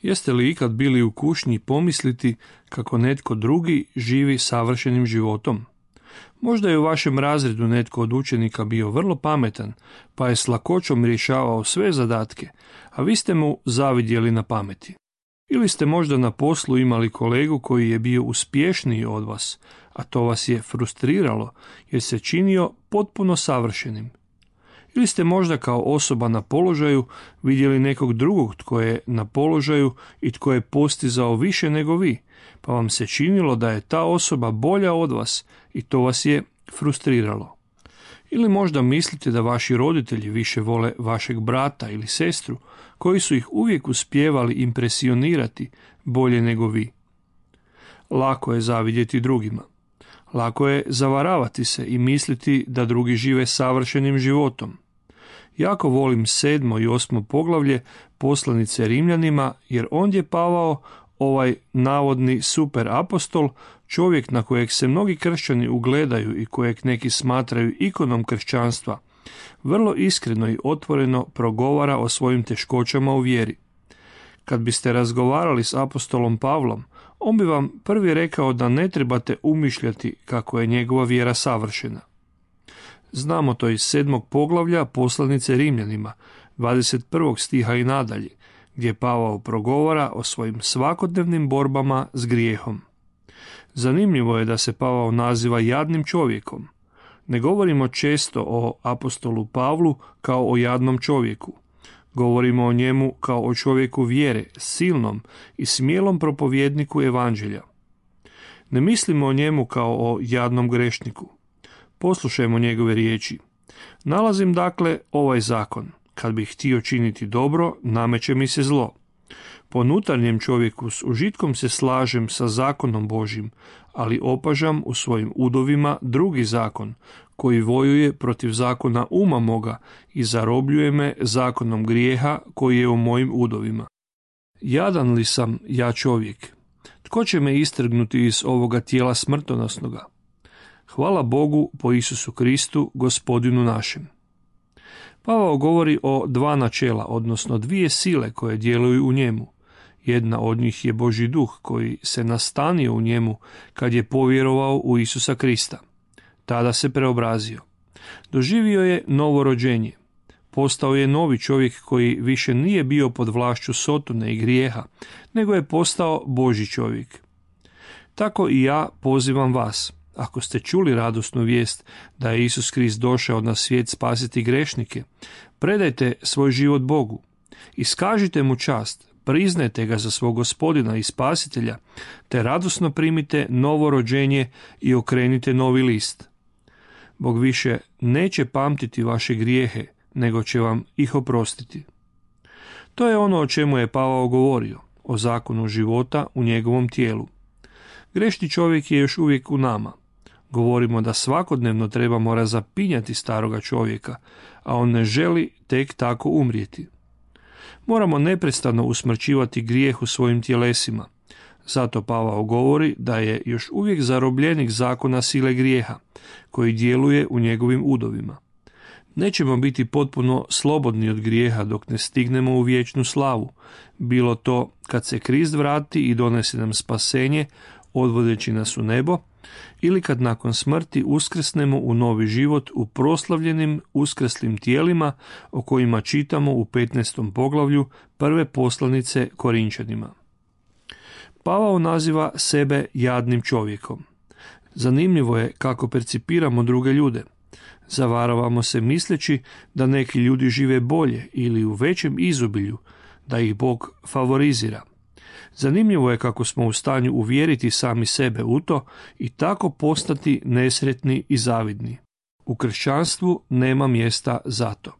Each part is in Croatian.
Jeste li ikad bili u kušnji pomisliti kako netko drugi živi savršenim životom? Možda je u vašem razredu netko od učenika bio vrlo pametan, pa je s lakoćom rješavao sve zadatke, a vi ste mu zavidjeli na pameti. Ili ste možda na poslu imali kolegu koji je bio uspješniji od vas, a to vas je frustriralo jer se činio potpuno savršenim. Ili ste možda kao osoba na položaju vidjeli nekog drugog tko je na položaju i tko je postizao više nego vi, pa vam se činilo da je ta osoba bolja od vas i to vas je frustriralo. Ili možda mislite da vaši roditelji više vole vašeg brata ili sestru, koji su ih uvijek uspijevali impresionirati bolje nego vi. Lako je zavidjeti drugima. Lako je zavaravati se i misliti da drugi žive savršenim životom. Jako volim 7. i 8. poglavlje poslanice Rimljanima, jer ondje Pavao, ovaj navodni super apostol, čovjek na kojeg se mnogi kršćani ugledaju i kojeg neki smatraju ikonom kršćanstva, vrlo iskreno i otvoreno progovara o svojim teškoćama u vjeri. Kad biste razgovarali s apostolom Pavlom, on bi vam prvi rekao da ne trebate umišljati kako je njegova vjera savršena. Znamo to iz 7. poglavlja poslanice Rimljanima, 21. stiha i nadalje, gdje Pavao progovara o svojim svakodnevnim borbama s grijehom. Zanimljivo je da se Pavao naziva jadnim čovjekom. Ne govorimo često o apostolu Pavlu kao o jadnom čovjeku. Govorimo o njemu kao o čovjeku vjere, silnom i smjelom propovjedniku evanđelja. Ne mislimo o njemu kao o jadnom grešniku. Poslušajmo njegove riječi. Nalazim dakle ovaj zakon. Kad bih htio činiti dobro, nameće mi se zlo. Po unutarnjem čovjeku s užitkom se slažem sa zakonom Božjim, ali opažam u svojim udovima drugi zakon, koji vojuje protiv zakona uma moga i zarobljuje me zakonom grijeha koji je u mojim udovima. Jadan li sam ja čovjek? Tko će me istrgnuti iz ovoga tijela smrtonosnoga? Hvala Bogu po Isusu Kristu, Gospodinu našem. Pavao govori o dva načela, odnosno dvije sile koje djeluju u njemu. Jedna od njih je Božji duh koji se nastanio u njemu kad je povjerovao u Isusa Krista. Tada se preobrazio. Doživio je novo rođenje. Postao je novi čovjek koji više nije bio pod vlašću sotone i grijeha, nego je postao Božji čovjek. Tako i ja pozivam vas. Ako ste čuli radosnu vijest da je Isus Krist došao na svijet spasiti grešnike, predajte svoj život Bogu. Iskažite mu čast, priznajte ga za svog Gospodina i Spasitelja, te radosno primite novo rođenje i okrenite novi list. Bog više neće pamtiti vaše grijehe, nego će vam ih oprostiti. To je ono o čemu je Pavao govorio, o zakonu života u njegovom tijelu. Grešni čovjek je još uvijek u nama. Govorimo da svakodnevno trebamo razapinjati staroga čovjeka, a on ne želi tek tako umrijeti. Moramo neprestano usmrćivati grijeh u svojim tjelesima. Zato Pavao govori da je još uvijek zarobljenik zakona sile grijeha, koji djeluje u njegovim udovima. Nećemo biti potpuno slobodni od grijeha dok ne stignemo u vječnu slavu, bilo to kad se Krist vrati i donese nam spasenje, odvodeći nas u nebo, ili kad nakon smrti uskrsnemo u novi život u proslavljenim uskrslim tijelima o kojima čitamo u 15. poglavlju prve poslanice Korinčanima. Pavao naziva sebe jadnim čovjekom. Zanimljivo je kako percipiramo druge ljude. Zavaravamo se misleći da neki ljudi žive bolje ili u većem izobilju, da ih Bog favorizira. Zanimljivo je kako smo u stanju uvjeriti sami sebe u to i tako postati nesretni i zavidni. U kršćanstvu nema mjesta za to.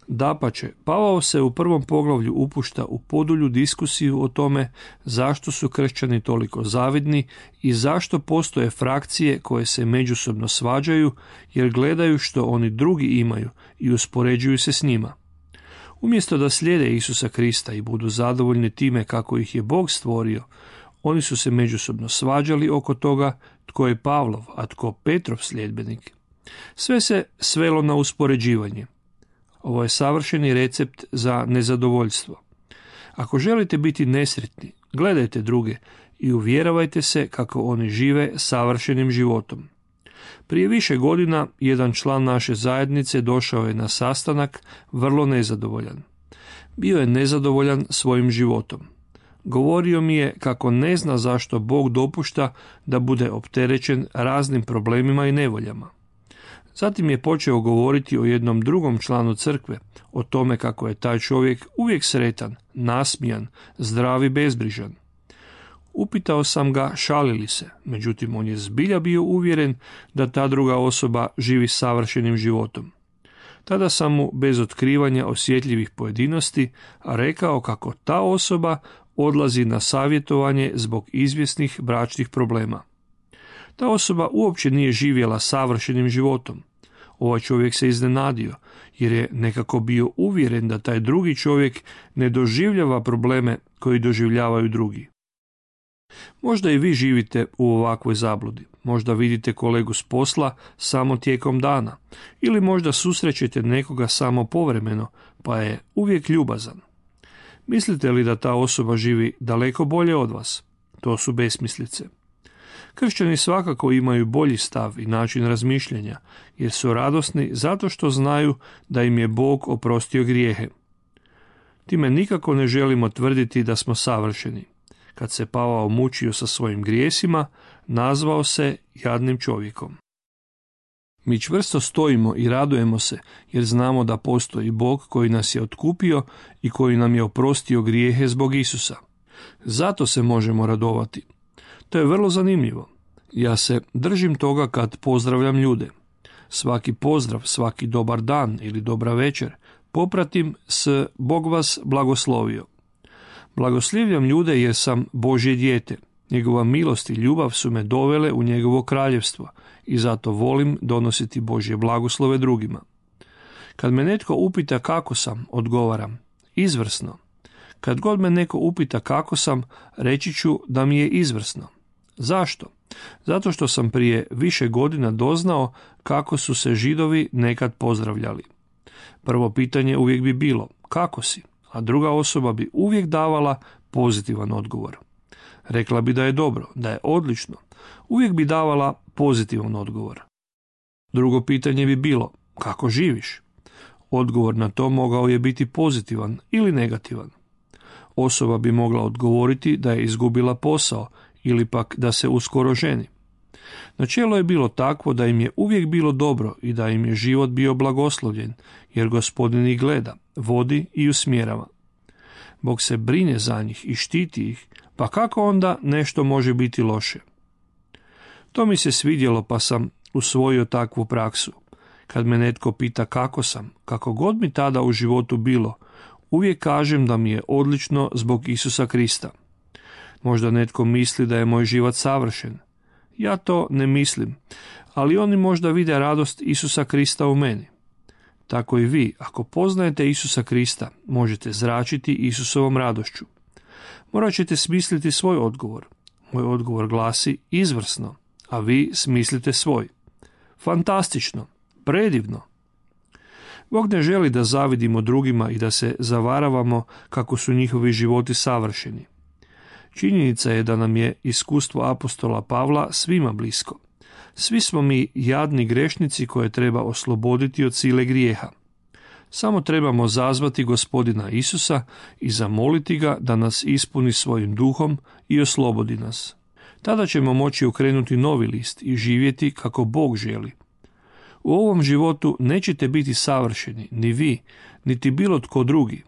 Dapače, Pavao se u prvom poglavlju upušta u podulju diskusiju o tome zašto su kršćani toliko zavidni i zašto postoje frakcije koje se međusobno svađaju jer gledaju što oni drugi imaju i uspoređuju se s njima. Umjesto da slijede Isusa Krista i budu zadovoljni time kako ih je Bog stvorio, oni su se međusobno svađali oko toga tko je Pavlov, a tko Petrov sljedbenik. Sve se svelo na uspoređivanje. Ovo je savršeni recept za nezadovoljstvo. Ako želite biti nesretni, gledajte druge i uvjeravajte se kako oni žive savršenim životom. Prije više godina jedan član naše zajednice došao je na sastanak vrlo nezadovoljan. Bio je nezadovoljan svojim životom. Govorio mi je kako ne zna zašto Bog dopušta da bude opterećen raznim problemima i nevoljama. Zatim je počeo govoriti o jednom drugom članu crkve, o tome kako je taj čovjek uvijek sretan, nasmijan, zdrav i bezbrižan. Upitao sam ga šali li se, međutim on je zbilja bio uvjeren da ta druga osoba živi savršenim životom. Tada sam mu bez otkrivanja osjetljivih pojedinosti rekao kako ta osoba odlazi na savjetovanje zbog izvjesnih bračnih problema. Ta osoba uopće nije živjela savršenim životom. Ovaj čovjek se iznenadio, jer je nekako bio uvjeren da taj drugi čovjek ne doživljava probleme koji doživljavaju drugi. Možda i vi živite u ovakvoj zabludi. Možda vidite kolegu s posla samo tijekom dana, ili možda susrećete nekoga samo povremeno, pa je uvijek ljubazan. Mislite li da ta osoba živi daleko bolje od vas? To su besmislice. Kršćani svakako imaju bolji stav i način razmišljanja, jer su radosni zato što znaju da im je Bog oprostio grijehe. Time nikako ne želimo tvrditi da smo savršeni. Kad se Pavao mučio sa svojim grijesima, nazvao se jadnim čovjekom. Mi čvrsto stojimo i radujemo se, jer znamo da postoji Bog koji nas je otkupio i koji nam je oprostio grijehe zbog Isusa. Zato se možemo radovati. To je vrlo zanimljivo. Ja se držim toga kad pozdravljam ljude. Svaki pozdrav, svaki dobar dan ili dobra večer popratim s Bog vas blagoslovio. Blagoslivljam ljude jer sam Božje dijete. Njegova milost i ljubav su me dovele u njegovo kraljevstvo i zato volim donositi Božje blagoslove drugima. Kad me netko upita kako sam, odgovaram, izvrsno. Kad god me neko upita kako sam, reći ću da mi je izvrsno. Zašto? Zato što sam prije više godina doznao kako su se Židovi nekad pozdravljali. Prvo pitanje uvijek bi bilo, kako si? A druga osoba bi uvijek davala pozitivan odgovor. Rekla bi da je dobro, da je odlično. Uvijek bi davala pozitivan odgovor. Drugo pitanje bi bilo, kako živiš? Odgovor na to mogao je biti pozitivan ili negativan. Osoba bi mogla odgovoriti da je izgubila posao ili pak da se uskoro ženi. Načelo je bilo takvo da im je uvijek bilo dobro i da im je život bio blagoslovljen, jer Gospodin ih gleda, vodi i usmjerava. Bog se brine za njih i štiti ih, pa kako onda nešto može biti loše? To mi se svidjelo pa sam usvojio takvu praksu. Kad me netko pita kako sam, kako god mi tada u životu bilo, uvijek kažem da mi je odlično zbog Isusa Krista. Možda netko misli da je moj život savršen. Ja to ne mislim, ali oni možda vide radost Isusa Krista u meni. Tako i vi, ako poznajete Isusa Krista, možete zračiti Isusovom radošću. Morat ćete smisliti svoj odgovor. Moj odgovor glasi izvrsno, a vi smislite svoj. Fantastično, predivno. Bog ne želi da zavidimo drugima i da se zavaravamo kako su njihovi životi savršeni. Činjenica je da nam je iskustvo apostola Pavla svima blisko. Svi smo mi jadni grešnici koje treba osloboditi od sile grijeha. Samo trebamo zazvati Gospodina Isusa i zamoliti ga da nas ispuni svojim duhom i oslobodi nas. Tada ćemo moći okrenuti novi list i živjeti kako Bog želi. U ovom životu nećete biti savršeni, ni vi, niti bilo tko drugi.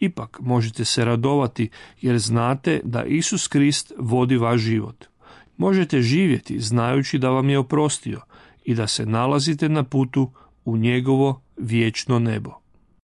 Ipak možete se radovati jer znate da Isus Krist vodi vaš život. Možete živjeti znajući da vam je oprostio i da se nalazite na putu u njegovo vječno nebo.